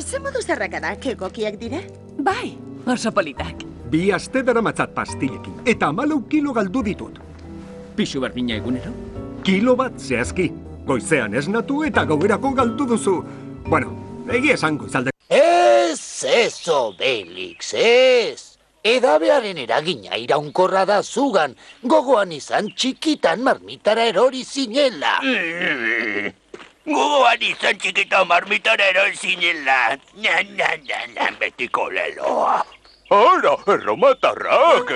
Ze modu zerrakadak egokiak dire? Bai, oso politak. 2 aste daramatzat pastilekin, eta 14 kilo galdu ditut. Pixu berdina egunero? Kilo bat zehazki. Goizean esnatu eta gauerako galdu duzu. Bueno, egia esan goizalde. Ez, Obelix, ez. Edabearen eragina iraunkorra da zugan, gogoan izan txikitan marmitara erori zinela. Gogoan izan txikitan marmitara erori zinela. Betiko leloa. Ara, erromatarrak!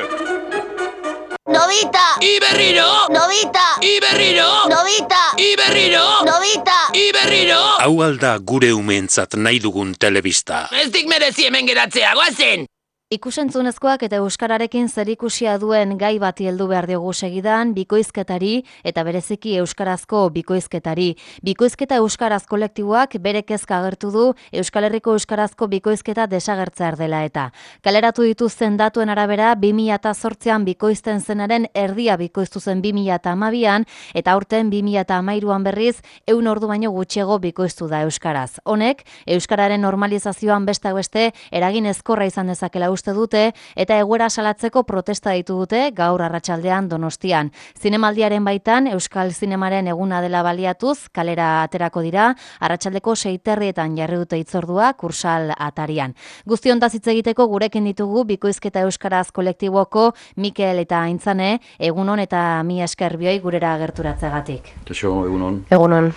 Nobita! Iberriro! Nobita! Iberriro! Nobita! Iberriro! Nobita! Iberriro! Hau alda gure umeentzat nahi dugun telebista. Ez dik merezi hemen geratzea, goazen! Ikusentzunezkoak eta euskararekin zerikusia duen gai bati heldu behar diogu segidan, bikoizketari eta bereziki euskarazko bikoizketari. Bikoizketa euskaraz kolektiboak bere kezka agertu du Euskal Herriko euskarazko bikoizketa desagertzear dela eta. Kaleratu dituzten datuen arabera 2008an bikoizten zenaren erdia bikoiztu zen 2012an eta aurten 2013an berriz 100 ordu baino gutxiago bikoiztu da euskaraz. Honek euskararen normalizazioan besteak beste eragin ezkorra izan dezakela uste dute eta egoera salatzeko protesta ditu dute gaur arratsaldean Donostian. Zinemaldiaren baitan Euskal Zinemaren eguna dela baliatuz kalera aterako dira, arratsaldeko 6:30 jarri dute hitzordua Kursal atarian. Guzti hontaz hitz egiteko gurekin ditugu bikoizketa euskaraz kolektiboko Mikel eta Aintzane, egunon eta mi esker bioi gurera gerturatzegatik. Kaixo, egunon. Egunon.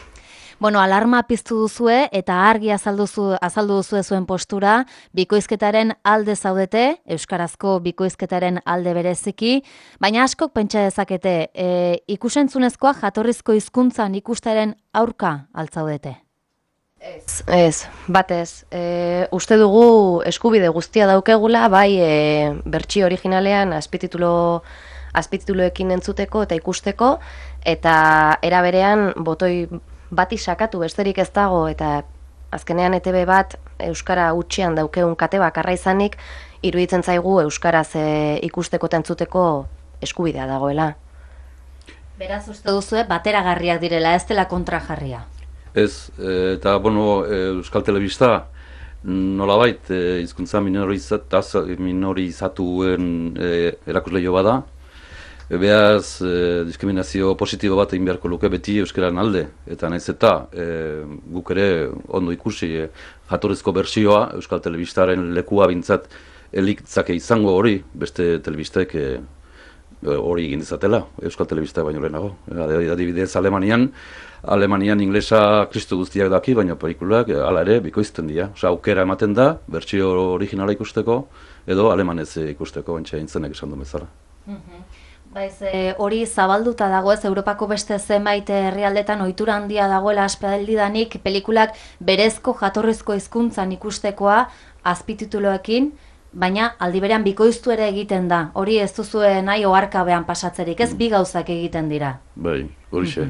Bueno, alarma piztu duzue eta argi azaldu duzue zuen postura, bikoizketaren alde zaudete, euskarazko bikoizketaren alde bereziki, baina askok pentsa dezakete, ikusentzunezkoa jatorrizko hizkuntzan ikustaren aurka altzaudete? Ez, batez. Uste dugu eskubide guztia daukegula, bai bertsio originalean azpitituloekin entzuteko eta ikusteko, eta era berean botoi bati sakatu besterik ez dago eta azkenean ETB bat euskara hutsean daukeun kate bakarra izanik iruditzen zaigu euskaraz ikusteko eta entzuteko eskubidea dagoela. Beraz uste duzue bateragarriak direla, ez dela kontrajarria. Ez, eta Euskal Telebista nolabait hizkuntza minorizatuen erakusleio bada. Beaz, diskriminazio positibo bat egin beharko luke beti euskararen alde. Eta naiz eta guk ere ondo ikusi jatorrizko bertsioa Euskal Telebistaren lekua bintzat elitzake izango hori, beste telebistek hori egin dizatela, Euskal Telebista baino lehenago. Adibidez, Alemanian inglesa kristu guztiak daki, baina pelikulak hala ere bikoizten dira. Osa, aukera ematen da, bertsio originala ikusteko, edo alemanez ikusteko, bantxe intzenek esan du bezala. Baiz, hori zabalduta dago ez, Europako beste zenbait herrialdetan ohitura handia dagoela aspaldidanik pelikulak berezko jatorrizko hizkuntzan ikustekoa azpitituloekin, baina aldi berean bikoiztu ere egiten da. Hori ez duzue nahi oharkabean pasatzerik, ez bi gauzak egiten dira. Bai, horixe.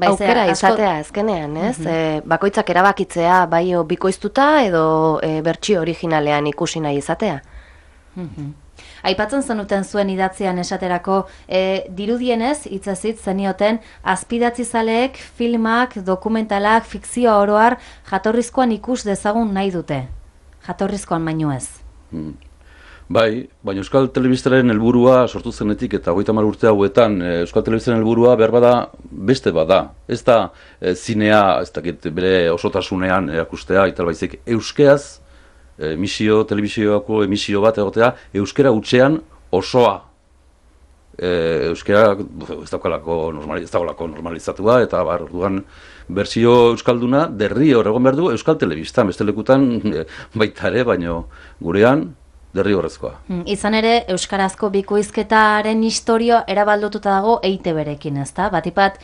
Aukera izatea azkenean, ez? Bakoitzak erabakitzea bai bikoiztuta edo bertsio originalean ikusi nahi izatea. Aipatzen zenuten zuen idatzian esaterako, dirudienez, hitzezitz zenioten, azpidatzizaleek, filmak, dokumentalak, fikzioa oroar, jatorrizkoan ikus dezagun nahi dute. Jatorrizkoan baino ez. Bai, baina Euskal Telebistaren helburua sortu zenetik eta 30 urte hauetan Euskal Telebistaren helburua behar bada beste bada. Ez da zinea, ez dakit bere osotasunean erakustea, eta baizik euskeaz, telebizioako emisio bat egotea, euskera hutsean osoa. Euskera ez dagoelako normalizatua, eta orduan bertsio euskalduna derri hor egon behar du Euskal Telebista, beste lekutan baita ere, baina gurean derri horrezkoa. Izan ere, euskarazko bikoizketaren historia erabaldututa dago EITB-rekin, ezta? Batipat,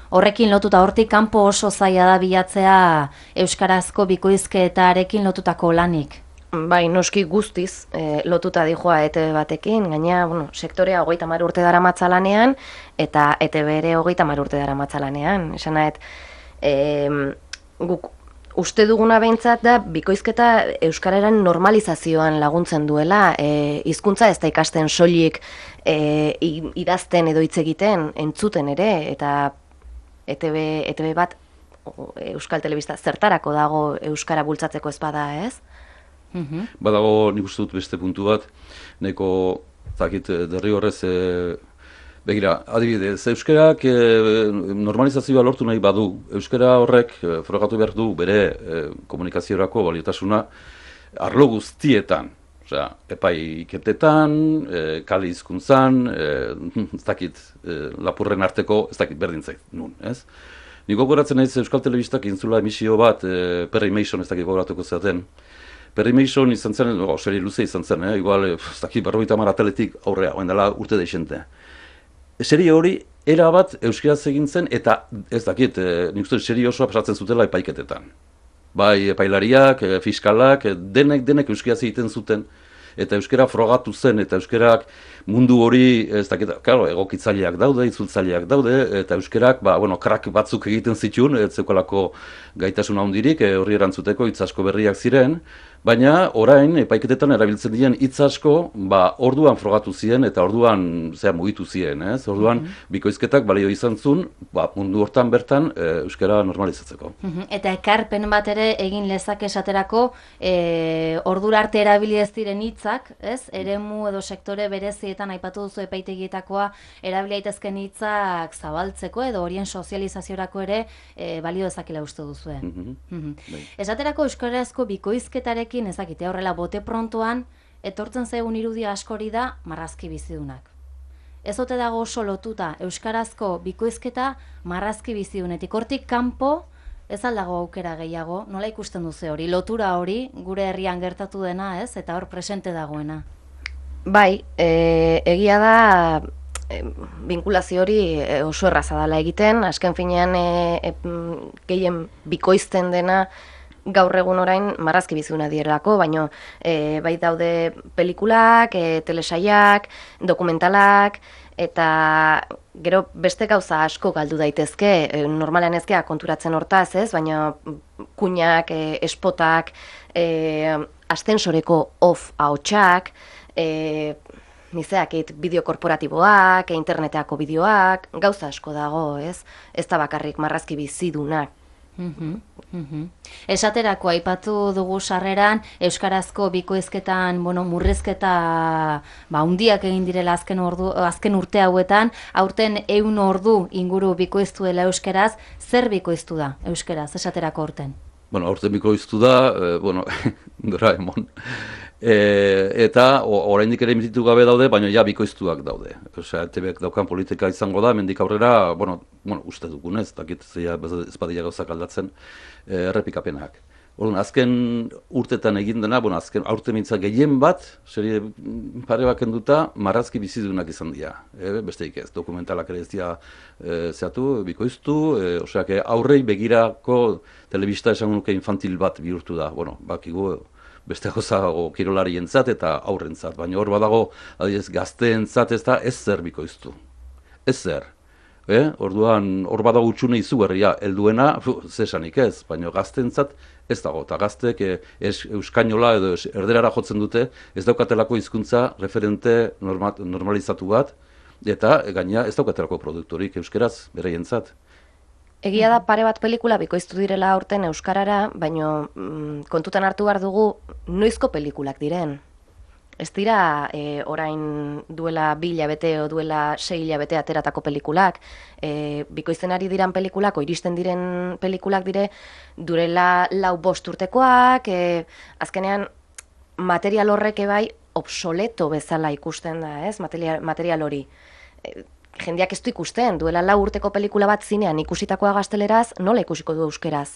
horrekin lotuta, hortik kanpo oso zaila da bilatzea euskarazko bikoizketarekin lotutako lanik. Bai, noski guztiz lotuta dijoa ETB batekin, gaina, sektorea 30 urte daramatza lanean, eta ETB ere 30 urte daramatza lanean. Esan nahet, guk uste duguna behintzat da bikoizketa euskararen normalizazioan laguntzen duela, hizkuntza ez da ikasten soilik idazten edo hitz egiten, entzuten ere, eta ETB bat Euskal Telebista zertarako dago euskara bultzatzeko ez bada, ez? Badago nik uste dut beste puntu bat, neko, zakit, derri horrez, begira, adibidez, euskarak normalizazioa lortu nahi badu, euskara horrek frogatu behar du bere komunikaziorako baliotasuna arlo guztietan. Osea, epaiketetan, kale hizkuntzan, ez dakit, lapurren arteko, ez dakit berdintzait, nun, ez? Nik gogoratzen naiz Euskal Telebistak intzula emisio bat, Perry Mason ez dakit gogoratuko zaten. Perry Mason izan zen, serie luze izan zen, igual, ez dakit, 50 ateletik aurrea, oen dela urte deixente. Serie hori, erabat euskaraz egin zen, eta ez dakit, nik uste serie osoa pasatzen zutela epaiketetan. Bai, epailariak, fiskalak, denek euskaraz egiten zuten, eta euskara frogatu zen, eta euskarak mundu hori, ez dakit, claro, egokitzaileak daude, itzultzaileak daude, eta euskarak, krak batzuk egiten zituen, ez zeukalako gaitasuna handirik, horri erantzuteko hitz asko berriak ziren, baina orain epaiketetan erabiltzen diren hitz asko, orduan frogatu ziren eta orduan mugitu ziren, ez? Orduan bikoizketak balio izan zuen, mundu hortan bertan euskara normalizatzeko. Eta ekarpen bat ere egin lezak esaterako, ordura arte erabili ez diren hitzak, ez? Eremu edo sektore berezietan aipatu duzu epaitegietakoa erabili daitezken hitzak zabaltzeko edo horien sozializaziorako ere balio dezakela uste duzue. Esaterako euskarazko bikoizketarekin ezakite horrela bote prontoan, etortzen zaigun irudia askori da marrazki bizidunak. Ez ote dago oso lotuta euskarazko bikoizketa marrazki bizidunetik. Hortik kanpo ez aldago aukera gehiago, nola ikusten duze hori, lotura hori gure herrian gertatu dena, ez? Eta hor presente dagoena. Bai, egia da binkulazio hori oso erraza dela egiten, azken finean gehien bikoizten dena gaur egun orain marrazki biziduna direlako, baina bai daude pelikulak, telesaiak, dokumentalak, eta gero beste gauza asko galdu daitezke, normalean ezkea konturatzen hortaz, ez, baina kuinak, espotak, astensoreko off ahotsak, nizeakit bideo korporatiboak, interneteako bideoak, gauza asko dago, ez? Ez da bakarrik marrazki bizidunak. Esaterako aipatu dugu sarreran euskarazko bikoizketan murrizketa handiak egin direla azken urte hauetan, aurten 100 ordu inguru bikoiztu dela euskaraz. Zer bikoiztu da euskaraz esaterako aurten? Aurten bikoiztu da, Doraemon. Eta oraindik ere emititu gabe daude, baina ja bikoiztuak daude. Osea, ETBek daukan politika izango da, mendik aurrera, uste dugunez, dakit ez badia gauzak aldatzen, errepikapenak. Orduan, azken urtetan egin dena, azken aurte mintza gehien bat, serie pare bat kenduta, marrazki bizidunak izan dira. Besteik ez, dokumentalak ere ez dira zehatu, bikoiztu, osea, aurrei begirako telebista esan nuke infantil bat bihurtu da. Bakigu, beste goza kirolarientzat eta aurrentzat, baina hor badago, adibidez, gazteentzat ez da ez zer bikoiztu. Ez zer. Orduan, hor badago utxune izugarria, helduena, zesanik ez, baina gazteentzat ez dago, eta gaztek euskainola edo erderara jotzen dute, ez daukatelako hizkuntza referente normalizatu bat, eta gaina ez daukatelako produktorik euskeraz beraientzat. Egia da pare bat pelikula bikoiztu direla aurten euskarara, baina kontutan hartu behar dugu noizko pelikulak diren. Ez dira orain duela 2 hilabete o duela 6 hilabete ateratako pelikulak. Bikoizten ari diran pelikulak, iristen diren pelikulak dire, durela 4-5 urtekoak, azkenean material horrek bai obsoleto bezala ikusten da, ez? Material hori. Jendeak ez du ikusten, duela 4 urteko pelikula bat zinean ikusitakoa gazteleraz, nola ikusiko du euskeraz?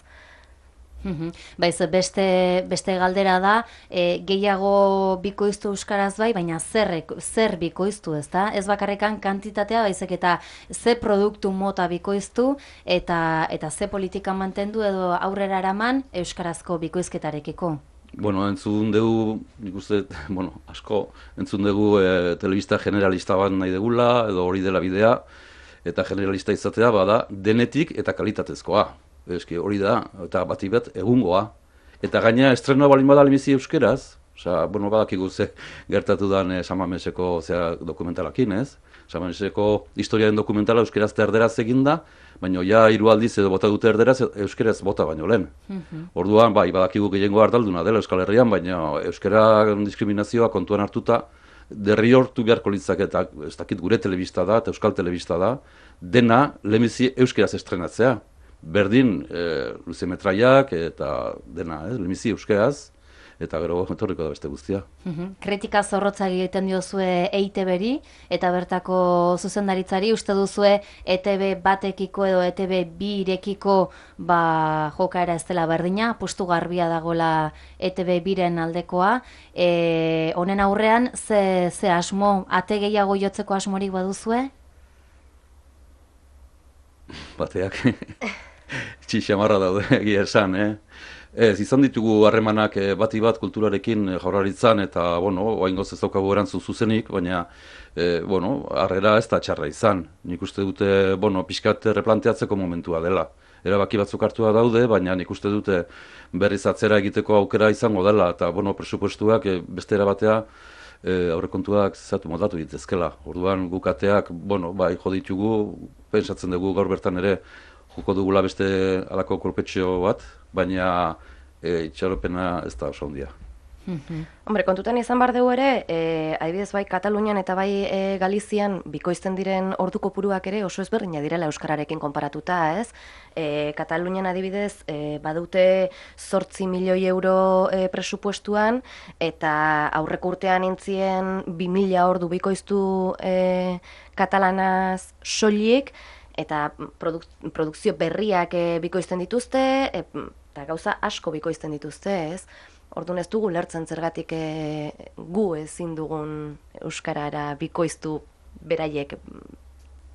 Baiz, beste galdera da, gehiago bikoiztu euskaraz bai, baina zer bikoiztu, ez da? Ez bakarrekan kantitatea, baizik eta ze produktu mota bikoiztu eta ze politika mantendu edo aurrera eraman euskarazko bikoizketarekiko. Entzun dugu, nik uste, asko, entzun dugu telebista generalista bat nahi degula, edo hori dela bidea, eta generalista izatea bada denetik eta kalitatezkoa. Eski hori da, eta bati bat egungoa. Eta gaina estrenoa balin bada lehenbizi euskeraz, badakigu ze gertatu den San Mameseko dokumentalakin, ez? Samaneseko historiaren dokumentala euskeraz eta erderaz eginda, baina ja 3 aldiz edo bota dute erderaz euskeraz bota baino lehen. Orduan, bai, badakigu gehiengo ardalduna dela Euskal Herrian, baina euskera diskriminazioa kontuan hartuta derrigortu beharko litzake, eta ez dakit gure telebista da eta euskal telebista da, dena lehenbizi euskeraz estrenatzea. Berdin luze metraiak eta dena, lehenbizi euskeraz, eta gero etorriko da beste guztia. Kritika zorrotza egiten diozue EITB-ri eta bertako zuzendaritzari, uste duzue ETB batekiko edo ETB birekiko jokaera ez dela berdina, postu garbia dagoela ETB biren aldekoa. Honen aurrean, ze asmo, ate gehiago jotzeko asmorik baduzue? Bateak txixamarra daude egia esan, Ez, izan ditugu harremanak bati bat kulturarekin Jaurlaritzan eta, oraingoz ez daukagu erantzun zuzenik, baina, harrera ez da txarra izan. Nik uste dute, pixkat replanteatzeko momentua dela. Erabaki batzuk hartua daude, baina nik uste dute berriz atzera egiteko aukera izango dela, eta, presupuestuak beste erabatea aurrekontuak zatu moldatu ditezkela. Orduan gukateak, bai, jo ditugu, pentsatzen dugu gaur bertan ere, joko dugula beste alako kolpetxo bat, baina itxaropena ez da oso handia. Hombre, kontutan izan behar dugu ere, adibidez bai Katalunian eta bai Galizian bikoizten diren ordu kopuruak ere oso ezberdina direla euskararekin konparatuta, ez? Katalunian adibidez badute 8 milioi euro presupuestuan, eta aurreko urtean intzien 2000 ordu bikoiztu katalanaz soilik, eta produkzio berriak bikoizten dituzte, eta gauza asko bikoizten dituzte, ez? Orduan ez dugu lertzen zergatik gu ezin dugun euskarara bikoiztu beraiek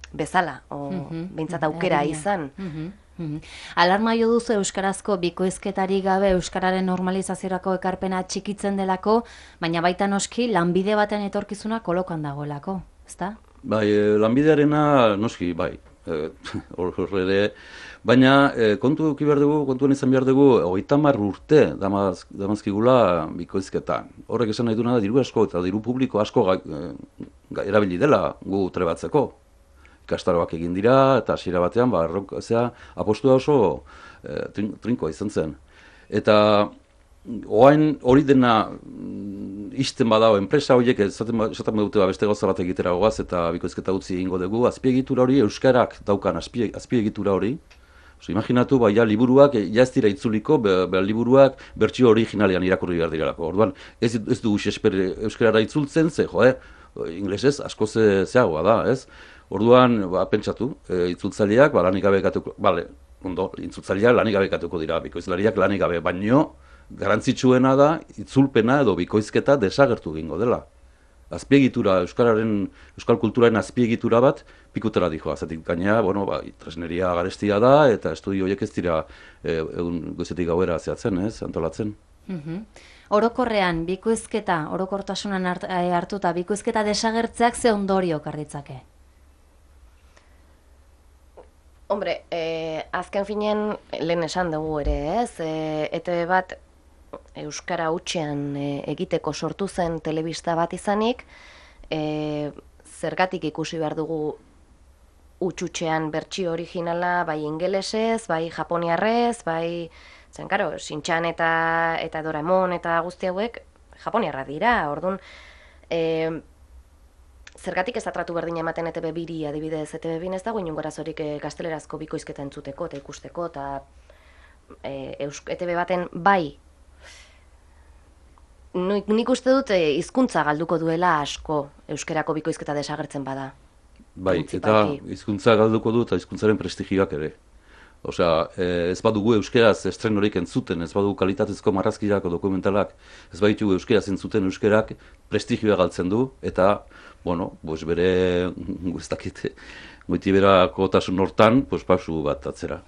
bezala, behintzat aukera izan. Alarma jo duzu euskarazko bikoizketari gabe euskararen normalizaziorako ekarpena txikitzen delako, baina baita noski lanbide baten etorkizuna kolokan dagoelako, ezta? Bai, lanbidearena noski, bai. Horre, baina kontuan izan behar dugu 30 urte damazkigula bikoizketan. Horrek esan nahi duena da diru asko eta diru publiko asko erabili dela gu trebatzeko. Ikastaroak egin dira eta hasiera batean apostua oso trinkoa izan zen. Eta hori dena ixten badao, enpresa horiek esaten badute beste gauza bat egitera goaz eta bikoizketa utzi egingo dugu, azpiegitura hori, euskarak daukan azpiegitura hori. Imaginatu, liburuak, ez dira itzuliko, liburuak bertsio originalean irakurri behar direlako. Orduan, ez dugu euskarara itzultzen, inglesez asko zeagoa da, ez? Orduan, pentsatu, itzultzaileak lanik gabe ekatuko, itzultzaileak lanik gabe ekatuko dira, bikoizlariak lanik gabe, baino, garrantzitsuena da, itzulpena edo bikoizketa desagertu egingo dela. Azpiegitura, euskal kulturaren azpiegitura bat pikutera dijoa. Zatik gaina, tresneria garestia da, eta estudio horiek ez dira goizetik gauera zehatzen, antolatzen. Orokorrean, bikoizketa, orokortasunan hartuta, bikoizketa desagertzeak ze ondorio karritzake? Hombre, azken finean lehen esan dugu ere, ez? ETB bat euskara hutsean egiteko sortu zen telebista bat izanik, zergatik ikusi behar dugu hutxutxean bertsio originala, bai ingelesez, bai japoniarrez, bai, Shin-chan eta Doraemon eta guzti hauek japoniarra dira, orduan, zergatik ez da tratu berdina ematen ETB biri, adibidez, ETB bin ez dago inongo arazorik gaztelerazko bikoizketa entzuteko eta ikusteko, eta ETB baten bai, nik uste dut hizkuntza galduko duela asko euskerako bikoizketa desagertzen bada. Bai, eta hizkuntza galduko du eta hizkuntzaren prestigioak ere. Osea, ez badugu euskeraz estrenorik entzuten, ez badugu kalitatezko marrazkiak o dokumentalak, ez baditugu euskeraz entzuten euskerak prestigioa galtzen du, eta, bere, ez dakit, goitiberakotasun hortan, pausu bat atzera.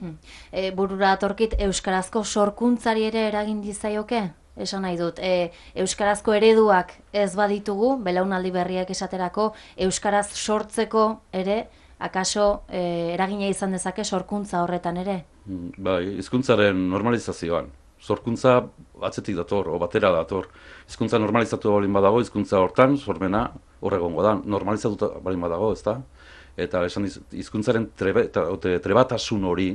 Burura atorkit, euskarazko sorkuntzari ere eragin dizaioke? Esan nahi dut, euskarazko ereduak ez baditugu, belaunaldi berriak esaterako, euskaraz sortzeko ere, akaso eragina izan dezake sorkuntza horretan ere? Bai, hizkuntzaren normalizazioan. Sorkuntza atzetik dator, o batera dator. Hizkuntza normalizatu baldin badago, hizkuntza hortan, sormena hor egongo da, normalizatuta balin badago, ez da? Eta esan hizkuntzaren trebatasun hori,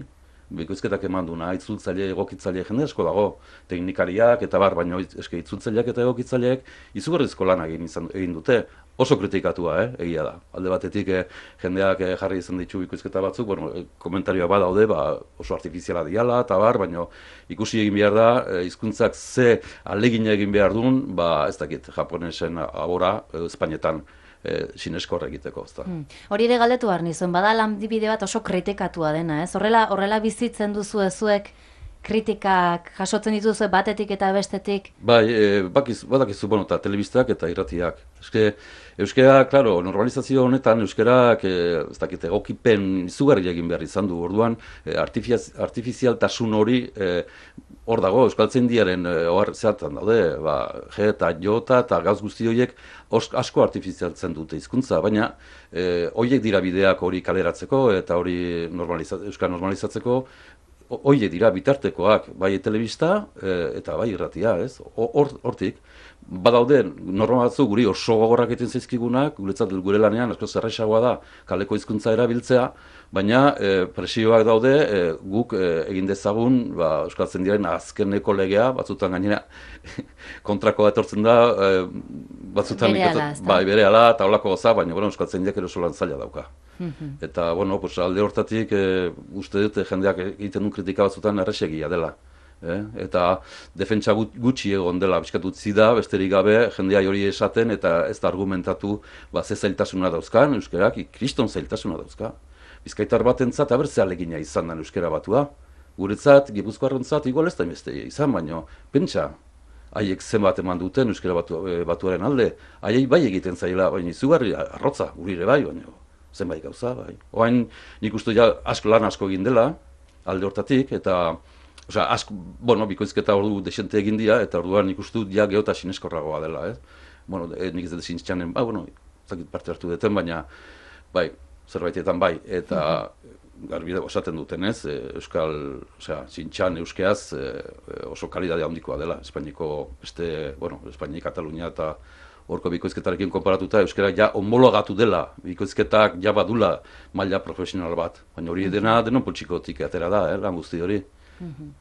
bikoizketak eman duna, itzultzaile, egokitzaile jende asko dago, teknikariak eta baina itzultzaileak eta egokitzaileak izugarrizko lan egin dute, oso kritikatua, egia da. Alde batetik jendeak jarri izan ditu bikoizketa batzuk, komentarioa badaude, oso artifiziala diala eta baina ikusi egin behar da, hizkuntzak ze ahalegina egin behar duen, ez dakit, japonesen abora, Espainetan, sinesko egiteko, ezta. Hori ere galdetu behar nizuen, bada lanbide bat oso kritikatua dena, ez? Horrela bizitzen duzu zuek kritikak jasotzen dituzue batetik eta bestetik? Bai, badakizu, eta telebistak eta irratiak. Euskara, klaro, normalizazio honetan euskarak, ez dakit, egokipen izugarri egin behar izan du, orduan, artifizialtasun hori hor dago, euskaltzaindiaren zehatan daude, G eta J eta gauz guzti horiek asko artifizialtzen dute hizkuntza, baina horiek dira bideak hori kaleratzeko eta hori euskara normalizatzeko, horiek dira bitartekoak, bai telebista eta bai irratia, ez? Hortik, badaude norma batzu guri oso gogorrak egiten zaizkigunak, guretzat gure lanean asko zerrexagoa da kaleko hizkuntza erabiltzea, baina presioak daude guk egin dezagun euskaltzaindiaren azkeneko legea, batzutan gainera kontrakoa etortzen da, batzutan berehala eta holako goza, baina euskaltzaindiak eroso lan zaila dauka. Eta, alde hortatik uste dute jendeak egiten duen kritika batzutan erresegia dela. Eta defentsa gutxi egon dela bizkatu utzi da, besterik gabe jendea hori esaten eta ez da argumentatu ze zailtasuna dauzkan, euskarak kriston zailtasuna dauzka. Bizkaitar batentzat abertze ahalegina izan da euskara batua. Guretzat, gipuzkoarrentzat igual ez da inbestea izan, baina pentsa, haiek zenbat eman duten euskara batuaren alde, haiek bai egiten zaila, baina izugarri arrotza, gurire bai, baina zenbait gauza, bai. Oain nik uste lan asko egin dela, alde hortatik, eta bikoizketa ordu desente egin dira, eta orduan nik uste geota sineskorragoa dela, ez? Nik ez dut sinistxanen, zakit parte hartu duten, baina, zerbaitetan bai, eta garbide osaten duten, ez? Sintxan euskeaz oso kalidade handikoa dela, Espainiko, Espainia, Katalunia eta horko bikoizketarekin konparatuta, euskara homologatu dela, bikoizketak badula maila profesional bat, baina hori dena denon poltsikotik atera da, lan guzti hori.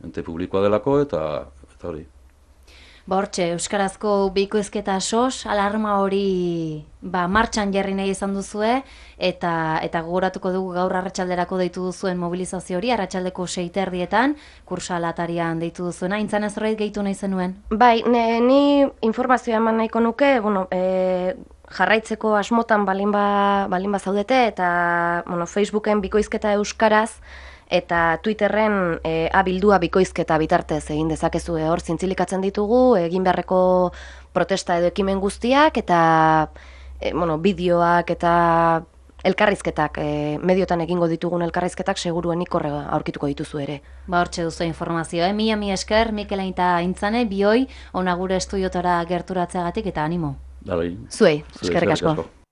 Ente publikoa delako eta hori. Hortxe, euskarazko bikoizketa sos, alarma hori martxan jarri nahi izan duzue, eta gogoratuko dugu gaur arratsalderako deitu duzuen mobilizazio hori, arratsaldeko 6:30 kursa atarian deitu duzuena, intzan ez horreit gehitu nahi zenuen? Bai, ni informazioa eman nahiko nuke, jarraitzeko asmotan balin bazaudete, eta Facebooken bikoizketa euskaraz, eta Twitterren abildua bikoizketa bitartez egin dezakezu hor zintzilikatzen ditugu, egin beharreko protesta edo ekimen guztiak, eta bideoak eta elkarrizketak, mediotan egingo ditugun elkarrizketak seguruenik horrega aurkituko dituzu ere. Hortxe duzu informazioa, mila esker, Mikela eta Intzane, bioi, ona gure estudiotara gerturatzeagatik eta animo. Zuei, eskerrik asko.